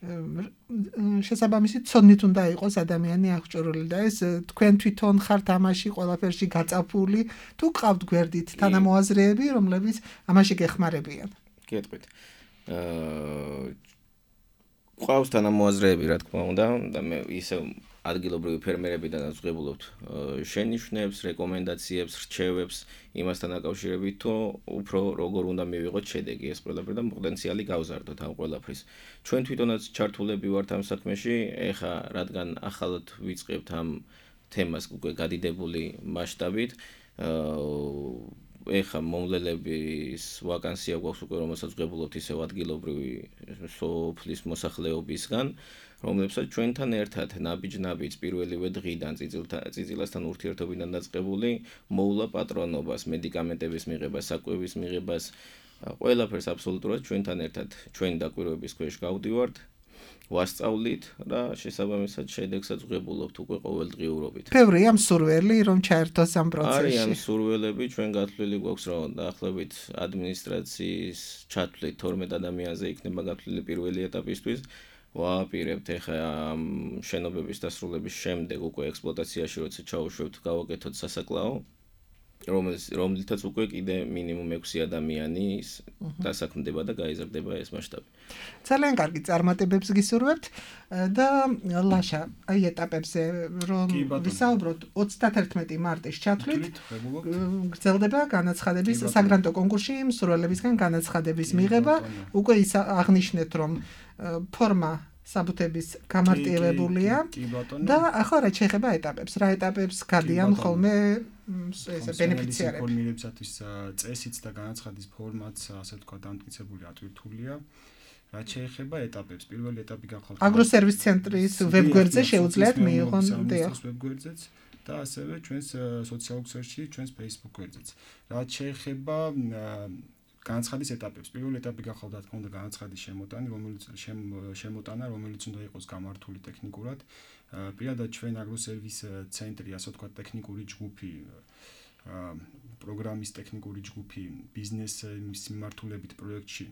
შესაბამისი ცოდნით უნდა იყოს ადამიანი აღჭურვილი და ეს თქვენ თვითონ ხართ ამაში ყველაფერში გაწაფული თუ გყავთ გვერდით თანამოაზრეები, რომლებიც ამაში გეხმარებიან. გეტყვით. აა ყავს თანამოაზრეები, რა თქმა უნდა, და მე ისე ადგილობრივი ფერმერებიდანაც ვღებულობთ შენიშვნებს, რეკომენდაციებს, რჩევებს იმასთან დაკავშირებით, თუ უფრო როგორ უნდა მივიღოთ შედეგი ეს ყველაფერი და პოტენციალი გავზარდოთ ამ ყველაფრის. ჩვენ თვითონაც ჩართულები ვართ ამ საქმეში, ეხა რადგან ახალად ვიწყებთ ამ თემას უკვე გადიდებული მასშტაბით, ეხა მომლელების ვაკანსია გვაქვს უკვე, რომელსაც ვღებულობთ ისევ ადგილობრივი სოფლის მოსახლეობისგან, რომლებსაც ჩვენთან ერთად ნაბიჯ-ნაბიჯ პირველივე დღიდან წიწილასთან ურთიერთობიდან დაწყებული მოვლა პატრონობას, მედიკამენტების მიღებას, საკვების მიღებას, ყველაფერს აბსოლუტურად ჩვენთან ერთად ჩვენი დაკვირვების ქვეშ გავდივართ, ვასწავლით და შესაბამისად შედეგსაც ვღებულობთ უკვე ყოველდღიურობით. ბევრია მსურველი, რომ ჩაერთოს ამ პროცესში. არიან მსურველები, ჩვენ გათვლილი გვაქვს, რომ დაახლოებით ადმინისტრაციის ჩათვლით თორმეტ ადამიანზე იქნება გათვლილი პირველი ეტაპისთვის. ვააპირებთ ეხა ამ შენობების დასრულების შემდეგ უკვე ექსპლუატაციაში როცა ჩაუშვებთ, გავაკეთოთ სასაკლაო, რომელთაც უკვე კიდე მინიმუმ ექვსი ადამიანი დასაქმდება და გაიზარდება ეს მასშტაბი. ძალიან კარგი წარმატებებს გისურვებთ და ლაშა, აი ეტაპებზე რომ ვისაუბროთ ოცდათერთმეტი მარტის ჩათვლით გრძელდება განაცხადების საგრანტო კონკურსში მსურველებისგან განაცხადების მიღება, უკვე ის აღნიშნეთ რომ ფორმა საბუთების გამარტივებულია და ახლა რა შეეხება ეტაპებს, რა ეტაპებს გადიან ხოლმე ესე ბენეფიციარები. ფორმირებისათვის წესიც და განაცხადის ფორმაც, ასე ვთქვათ, დამტკიცებული ატვირთულია. რაც შეეხება ეტაპებს, პირველი ეტაპი გახლავთ აგროსერვის ცენტრის ვებგვერდზე შეუძლიათ მიიღონ დიახ ვებგვერდზეც და ასევე ჩვენს სოციალურ ქსელში, ჩვენს Facebook გვერდზეც. რაც შეეხება განაცხადის ეტაპებს. პირველი ეტაპი გახლავთ, რა თქმა უნდა, განაცხადის შემოტანა, რომელიც შემოტანა, რომელიც უნდა იყოს გამართული ტექნიკურად. პირადად ჩვენ აგროსერვის ცენტრი, ასე ვთქვათ, ტექნიკური ჯგუფი, პროგრამის ტექნიკური ჯგუფი ბიზნესის მიმართულებით პროექტში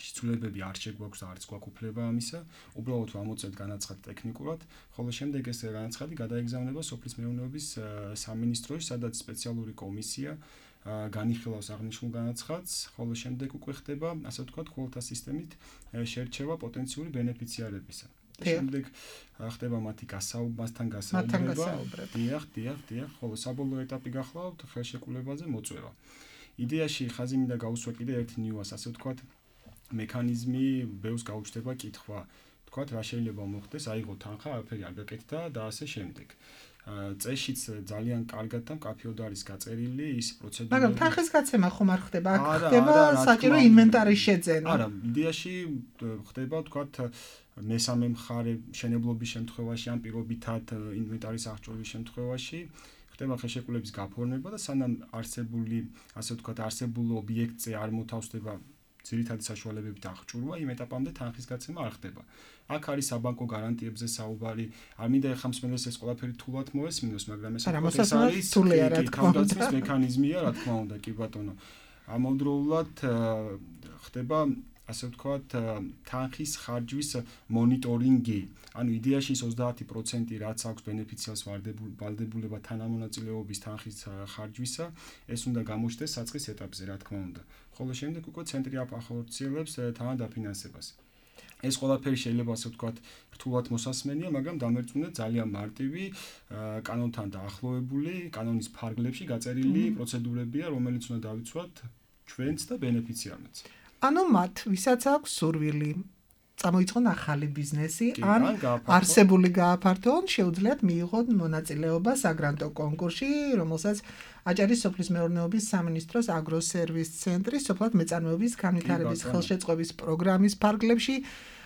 შესრულებები არ შეგვაქვს და არც გვაქვს უფლება ამისა. უბრალოდ ვამოწევთ განაცხადი ტექნიკურად, ხოლო შემდეგ ეს განაცხადი გადაეგზავნება სოფლის მეურნეობის სამინისტროში, სადაც სპეციალური კომისია განიხილავს აღნიშნულ განაცხადს, ხოლო შემდეგ უკვე ხდება, ასე ვთქვათ, კვალთა სისტემით შერჩევა პოტენციური ბენეფიციარებისა. და შემდეგ ხდება მათი გასაუბრებასთან გასაუბრება. დიახ, დიახ, დიახ, ხოლო საბოლოო ეტაპი გახლავთ ხელშეკრულებაზე მოწვევა. იდეაში ხაზი მინდა გაუსვა კიდე ერთ ნიუანსს, ასე ვთქვათ, მექანიზმი ბევრს გაუჩნდება კითხვა, ვთქვათ, რა შეიძლება მოხდეს, აიღო თანხა, არაფერი არ გაკეთდა და ასე შემდეგ. წეშიც ძალიან კარგად და მკაფიოდ არის გაწერილი ის პროცედურა. მაგრამ თანხის გაცემა ხომ არ ხდება? აქ ხდება საჭირო ინვენტარის შეძენა. არა, იდეაში ხდება, ვთქვათ, მესამე მხარე შენებლობის შემთხვევაში, ან პირობითად ინვენტარის აღჭურვის შემთხვევაში, ხდება ხდება ხელშეკრულების გაფორმება და სანამ არსებული, ასე ვთქვათ, არსებულ ობიექტზე არ მოთავსდება ძირითადი საშუალებებით აღჭურვა, იმ ეტაპამდე თანხის გაცემა არ ხდება. აქ არის საბანკო გარანტიებზე საუბარი. არ მინდა ეხლა მსმენელს ეს ყველაფერი თულად მოესმინოს, მაგრამ ეს არის თავდაცვის მექანიზმია, რა თქმა უნდა, კი ბატონო. ამავდროულად ხდება ასე ვთქვათ, თანხის ხარჯვის მონიტორინგი. ანუ იდეაში ის ოცდაათი პროცენტი რაც აქვს ბენეფიციარს ვალდებულება თანამონაწილეობის თანხის ხარჯვისა, ეს უნდა გამოჩნდეს საწყის ეტაპზე, რა თქმა უნდა. ხოლო შემდეგ უკვე ცენტრი ახორციელებს თანადაფინანსებას. ეს ყველაფერი შეიძლება ასე ვთქვათ, რთულად მოსასმენია, მაგრამ დამერწმუნეთ ძალიან მარტივი, კანონთან დაახლოებული, კანონის ფარგლებში გაწერილი პროცედურებია, რომელიც უნდა დავიცვათ ჩვენც და ბენეფიციარებს. ანუ მათ, ვისაც აქვს სურვილი წამოიწყონ ახალი ბიზნესი, ან არსებული გააფართოონ, შეუძლიათ მიიღონ მონაწილეობა საგრანტო კონკურსში, რომელსაც აჭარის სოფლის მეურნეობის სამინისტროს აგროსერვის ცენტრის სოფლად მეწარმეობის განვითარების ხელშეწყობის პროგრამის ფარგლებში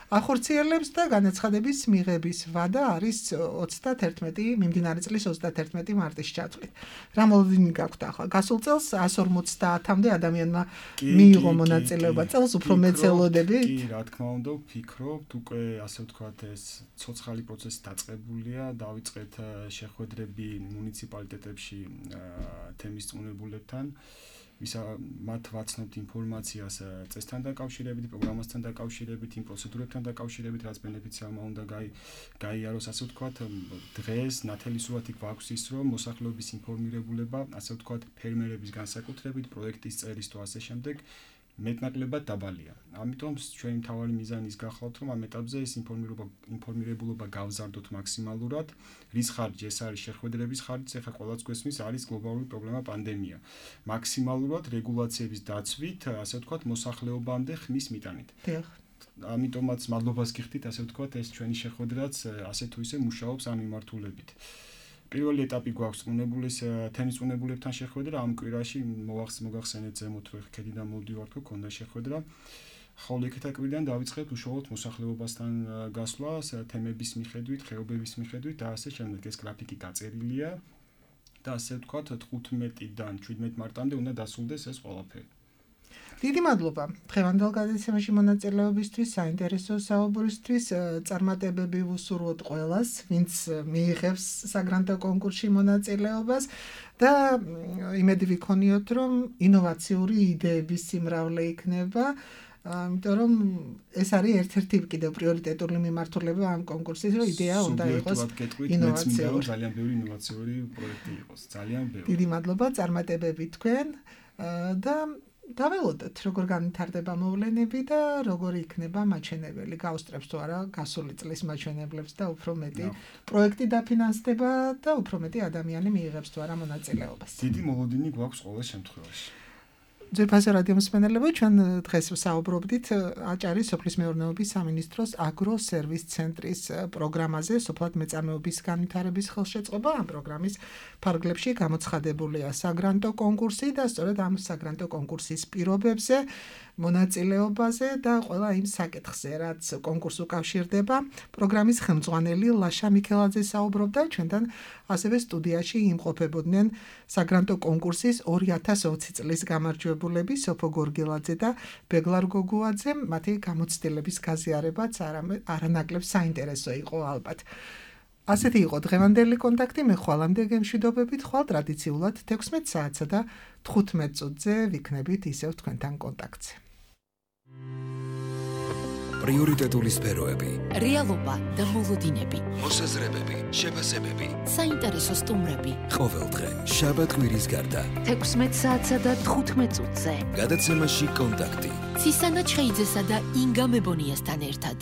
ახორციელებს და განაცხადების მიღების ვადა არის ოცდაათი მიმდინარე წლის ოცდაათი მარტის ჩათვლით. რა მოლოდინი გაქვთ ახლა? გასულ წელს εκατს ორმოცდაათამდე ადამიანმა მიიღო მონაწილეობა, წელს უფრო მეც ელოდები? კი, რა თქმა უნდა, ვფიქრობთ, უკვე ასე ვთქვათ, ეს ცოცხალი პროცესი დაწყებულია, დავიწყეთ შეხვედრები მუნიციპალიტეტებში თემის წვნებულებთან. ვისა მათ ვაცნობთ ინფორმაციას წესთან დაკავშირებით, პროგრამასთან დაკავშირებით, იმ პროცედურებთან დაკავშირებით, რაც ბენეფიციარმა უნდა გაიაროს, ასე ვთქვათ, დღეს ნათელისურათი გვაქვს ის, რომ მოსახლეობის ინფორმირებულება, ასე ვთქვათ, ფერმერების განსაკუთრებით, პროექტის წერის თუ ასე შემდეგ მეტნაკლებად დაბალია. ამიტომ ჩვენი მთავარი მიზანი ის გახლავთ, რომ ამ ეტაპზე ეს ინფორმირებულობა გავზარდოთ მაქსიმალურად. რის ხარჯი ეს არის შეხვედრების ხარჯი, ეხლა ყველაც გვესმის, არის გლობალური პრობლემა პანდემია. მაქსიმალურად რეგულაციების დაცვით, ასე ვთქვათ, მოსახლეობამდე ხმის მიტანით. დიახ. ამიტომაც მადლობას გიხდით, ასე ვთქვათ, ეს ჩვენი შეხვედრაც ასე თუ ისე მუშაობს ამ მიმართულებით. პირველი ეტაპი გვაქვს წვნებულის თემის წვნებულებთან შეხვედრა ამ კვირაში მოგახსენეთ ზემოთ რომ ხედიდან მოვდივართ რომ ქონდა შეხვედრა ხოლო იქეთ აკვირიდან დავიწყეთ უშუალოდ მოსახლეობასთან გასვლას თემების მიხედვით, ხეობების მიხედვით და ასე შემდეგ ეს გრაფიკი გაწერილია და ასე ვთქვათ თხუთმეტიდან შვიდმეტ მარტამდე უნდა დასრულდეს ეს ყველაფერი. დიდი მადლობა დღევანდელ გადაცემაში მონაწილეობისთვის, საინტერესო საუბრისთვის, წარმატებები ვუსურვოთ ყველას, ვინც მიიღებს საგრანტო კონკურსში მონაწილეობას და იმედი ვიქონიოთ, რომ ინოვაციური იდეების სიმრავლე იქნება, იმიტომ რომ ეს არის ერთ-ერთი კიდევ პრიორიტეტული მიმართულება ამ კონკურსის, რომ იდეა უნდა იყოს ინოვაციური. ძალიან ბევრი ინოვაციური პროექტი იყოს, ძალიან ბევრი. დიდი მადლობა, წარმატებები თქვენ და დაველოდოთ, როგორ განვითარდება მოვლენები და როგორ იქნება მაჩვენებელი, გაუსწრებს თუ არა გასული წლის მაჩვენებლებს და უფრო მეტი პროექტი დაფინანსდება და უფრო მეტი ადამიანი მიიღებს თუ არა მონაწილეობას. დიდი მოლოდინი გვაქვს ყოველ შემთხვევაში. ძვირფასო რადიო მსმენელებო, ჩვენ დღეს ვსაუბრობდით აჭარის სოფლის მეურნეობის სამინისტროს აგროსერვის ცენტრის პროგრამაზე, სოფლად მეწარმეობის განვითარების ხელშეწყობა. ამ პროგრამის ფარგლებში გამოცხადებულია საგრანტო კონკურსი და სწორედ ამ საგრანტო კონკურსის პირობებზე, მონაწილეობაზე და ყველა იმ საკითხზე, რაც კონკურსს უკავშირდება. პროგრამის ხელმძღვანელი ლაშა მიქელაძე საუბრობდა, ჩვენთან ასევე სტუდიაში იმყოფებოდნენ საგრანტო კონკურსის ორი ათას ოცი წლის გამარჯვებულები სოფო გორგილაძე და ბეგლარ გოგუაძე. მათი გამოცდილების გაზიარებაც არანაკლებ საინტერესო იყო ალბათ. ასეთი იყო დღევანდელი კონტაქტი, მე ხვალამდე გემშვიდობებით, ხვალ ტრადიციულად თექვსმეტ საათსა და თხუთმეტ წუთზე ვიქნებით ისევ თქვენთან კონტაქტზე. პრიორიტეტული სფეროები, რეალობა და მოლოდინები, მოსაზრებები, შეფასებები, საინტერესო სტუმრები. ყოველდღე, შაბათ-კვირის გარდა, თექვსმეტ საათსა და თხუთმეტ წუთზე. გადაცემაში კონტაქტი. ცისანა ჩხეიძესა და ინგა მებონიასთან ერთად.